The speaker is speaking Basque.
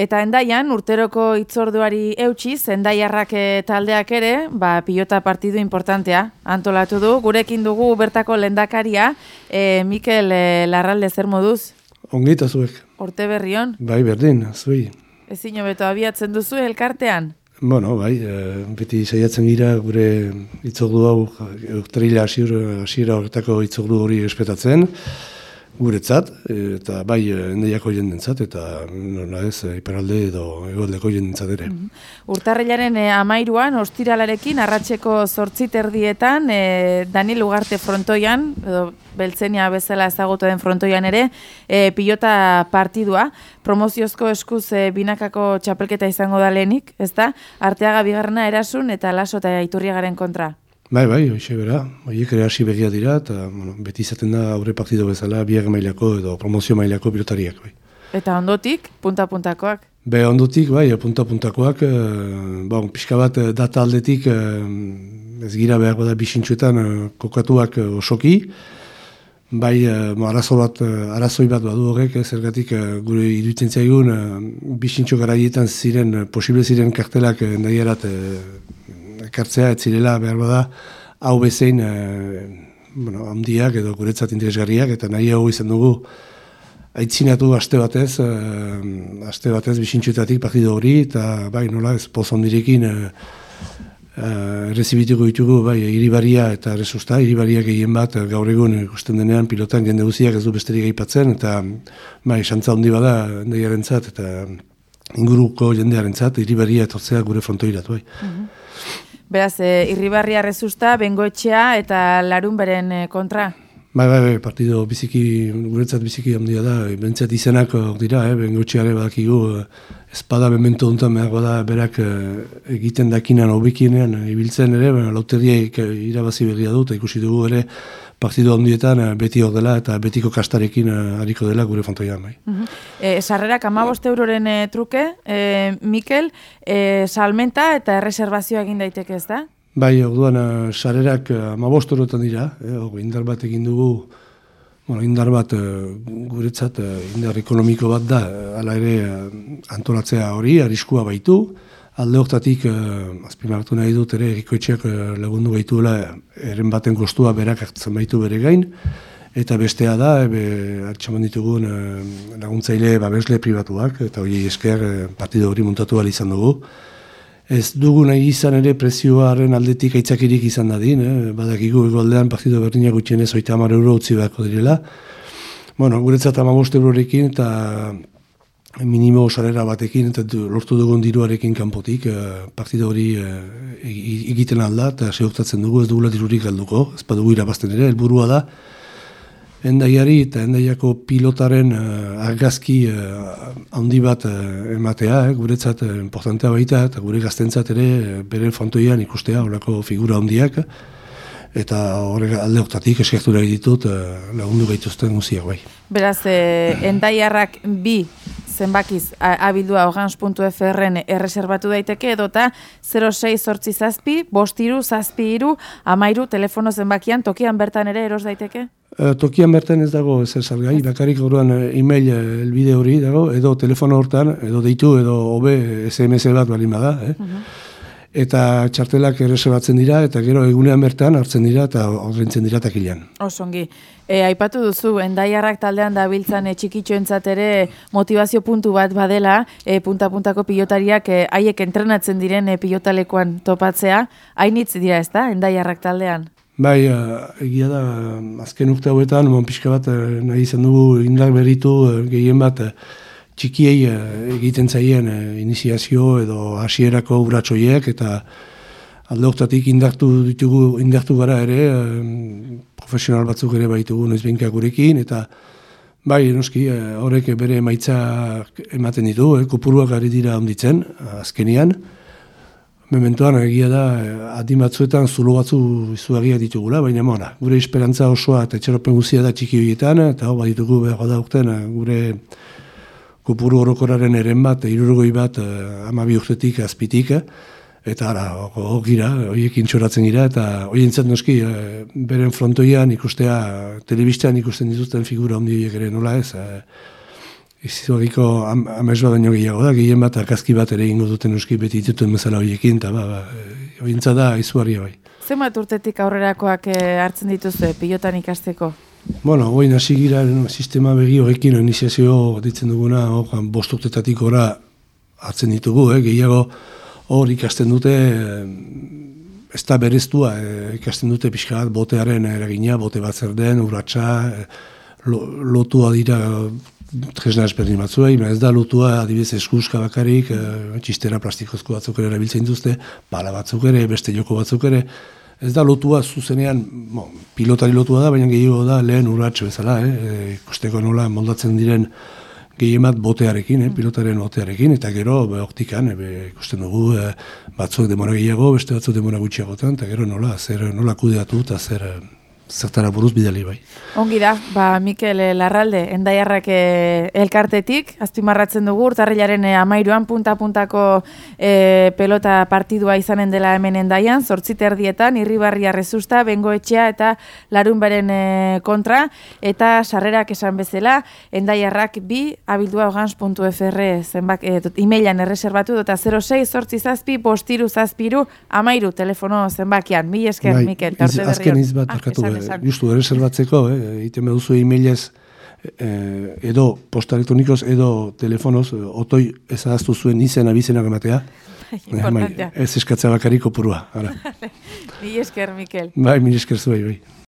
Eta Hendaian, urteroko hitzorduari eutxiz, Hendaiarrak taldeak ere, pilota partidu importantea antolatu du. Gurekin dugu bertako lehendakaria, Mikel Larralde, zer moduz? Ongita zuek. Urte berrion? Bai, berdin, zui. Ezin hobeto abiatzen duzu elkartean? Bueno, bai, beti saiatzen gira gure hitzordu hau, urtarrila hasiera horretako hitzordu hori espetatzen, guretzat, eta bai Hendaiako jendentzat, eta nola ez, iparralde edo hegoaldeko jendentzat ere. Urtarrilaren 13an, ostiralarekin, arratseko 8:30, Daniel Ugarte frontoian, edo Beltzenia bezala ezagutu den frontoian ere, pilota partidua, promoziozko eskuz binakako txapelketa izango da lehenik, ezta? Arteaga Bigarrena Erasun eta Laso eta Iturriagaren kontra. Bai, hoxe bera, horiek ere hasi begia dira, eta beti izaten da aurre partido bezala, biak mailako edo promozio mailako pilotariak. Bai. Eta ondotik, punta-puntakoak? Ondotik, bai, punta-puntakoak, pixka bat data aldetik, ez gira behar bada bisintxuetan kokatuak osoki, bai, arazoi bat badu horrek, zergatik gure iruditzen zaigun, bisintxo garaietan posible ziren kartelak Hendaiarat ekartzea, ez zirela behar bada, hau bezein handiak edo guretzat interesgarriak, eta nahi hau izan dugu aitzinatu aste batez bisintxuetatik partido hori, eta bai, nola ez poz ondirekin errezibituko ditugu, bai, Iribaria eta Resusta, Iribaria gehien bat gaur egun ikusten denean pilotan jende guziak ez du besterik aipatzen, eta bai, xantza handi bada Hendaiarentzat eta inguruko jendearentzat, Iribaria etortzea gure frontoirat, bai. Beraz, Irribarria, Resusta, Bengoetxea eta Larunberen kontra? Bai, partido guretzat biziki handia da, bentsat izenak dira, Bengoetxeare badakigu, espada memento duntan behar bada berak egiten dakinan hobekienean ibiltzen ere, lauteriak irabazi berria dut, ikusi dugu ere, partido handietan beti hor dela eta betiko kastarekin hariko dela gure frontoian. Sarrerak 15 euroren truke, Mikel, salmenta eta erreserbazioa egin daiteke ez da? Bai, orduan sarrerak 15 eurotan dira, indar bat egin dugu, indar bat guretzat indar ekonomiko bat da, hala ere antolatzea hori, arriskua baitu, alde hortatik, azpimarratu nahi dut ere, Erikoetxeak lagundu gaituela, eren baten kostua berak hartzen baitu bere gain, eta bestea da, atxaman ditugun laguntzaile babesle pribatuak, eta hori esker partido hori muntatu behar izan dugu. Ez dugu nahi izan ere prezioaren aldetik aitzakirik izan dadin, badakigu egoaldean partido berdinak gutxienez 30 euro utzi beharko direla. Guretzat 15 eurorekin eta minimo sarrera batekin, eta lortu dugun diruarekin kanpotik, partida hori egiten alda, eta seurtatzen dugu, ez dugula dirurik galduko, ez badugu irabazten ere, helburua da, Hendaiari eta Hendaiako pilotaren argazki handi bat ematea, guretzat importantea baita, eta gure gaztentzat ere bere frontoian ikustea, horreko figura handiak, eta horrek alde hortatik eskertu nahi ditut lagundu gaituzten guziak bai. Beraz, Hendaiarrak bi zenbakiz abildua organs.frn erreserbatu daiteke, edota 06 bostiru, zazpiru, 13 telefono zenbakian, tokian bertan ere eros daiteke? Tokian bertan ez dago ezer salgai, bakarrik orduan e-mail elbide hori dago, edo telefono hortan, edo deitu, edo hobe SMS bat balin bada, Eta txartelak erreserbatzen dira, eta gero egunean bertan hartzen dira, eta ordaintzen dira takilean. Osongi. Aipatu duzu, Hendaiarrak taldean dabiltzan txikitxoentzat ere motivazio puntu bat badela, punta-puntako pilotariak haiek entrenatzen diren pilotalekuan topatzea. Hainitz dira ez da, Hendaiarrak taldean? Bai, egia da, azken urte hauetan, pixka bat nahi izan dugu indar berritu gehien bat, txikiei egiten zaien iniziazio edo hasierako urratsoiek, eta alde hortatik indartu gara ere, profesional batzuk ere baitugu noizbehinka gurekin, eta bai, noski, horrek bere emaitza ematen ditu, kopuruak ari dira onditzen, azkenian. Mementoan egia da, adin batzuetan zulo batzu izugarriak ditugula, baina gure esperantza osoa eta etxeropen guzia da txiki horietan, eta hau baditugu behar da urten gure kopuru orokoraren eren bat, 60 bat, 12 urtetik azpitik, eta hor gira, horiekin txoratzen gira, eta horientzat noski, beren frontoian ikustea, telebistan ikusten dituzten figura handi horiek ere, nola ez, Historiko amez bat baino gehiago da, gehien bat akazki bat ere ingo duten euski beti ditutuen bezala horiekin, eta ointza da izugarria bai. Zenbat urtetik aurrerakoak hartzen dituzue pilotan ikasteko? Bueno, goin hasi gira sistema begi horrekin iniziazio ditzen duguna, 5 urtetatik ora hartzen ditugu, gehiago hor ikasten dute, ez da bereztua, ikasten dute pixka bat botearen eragina, bote bat zer den, urratsa, lotua dira tresna ezberdin batzuei, ez da lotua adibidez eskuska bakarik, txistera plastikozko batzuk ere erabiltzen dituzte, pala batzuk ere, beste joko batzuk ere, ez da lotua zuzenean, pilotari lotua da, baina gehiago da lehen urratxe bezala, ikusteko nola moldatzen diren gehien bat botearekin, pilotaren botearekin, eta gero optikan, ikusten dugu batzuk demora gehiago, beste batzuk demora gutxiagotan, eta gero nola kudeatu eta zertara buruz bidali bai. Ongi da, Mikel Larralde, Endaiarrak elkartetik, azpimarratzen dugu, urtarrilaren 13an punta-puntako pelota partidua izanen dela hemen Endaian, 8:30 Irribarria Rezusta, Bengoetxea eta Larunbaren kontra, eta sarrerak esan bezala, Endaiarrak 2 abildua.organs.fr emailan erreserbatu, eta 06-8-7-5-3-13 telefono zenbakian. Mil esker, Mikel, eta urte berri. Azken izbat, justu erreserbatzeko, egiten beduzu e-mailez edo posta elektronikoz edo telefonoz, otoi ezagaztu zuen izen abizenak ematea. Ez eskatzea bakariko purua. Mil esker, Mikel. Bai, mil esker zuei, bai.